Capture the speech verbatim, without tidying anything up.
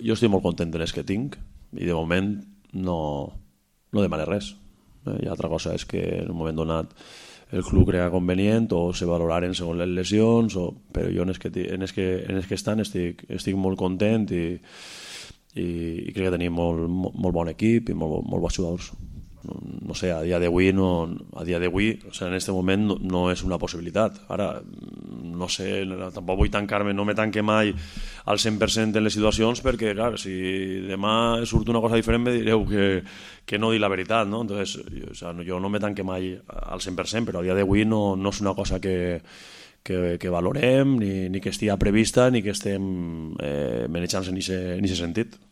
Jo estic molt content de les que tinc i de moment no, no demane res. Eh, I altra cosa és que en un moment donat el club crea convenient o se valoraren segons les lesions, o... però jo en els que, en els que, en els que estan estic, estic molt content i, i, i crec que tenim molt, molt, molt bon equip i molt, molt bons jugadors. No, no sé, a dia d'avui no, a dia d'avui, o sigui, en aquest moment no, no és una possibilitat. Ara, no sé, tampoc vull tancar-me, no me tanque mai al cent per cent en les situacions, perquè, clar, si demà surt una cosa diferent me direu que, que no dic la veritat, no? Entonces, jo, o sigui, jo no me tanque mai al cent per cent, però a dia d'avui no, no és una cosa que, que, que valorem, ni, ni que estigui prevista, ni que estem eh, manejant-se en aquest sentit.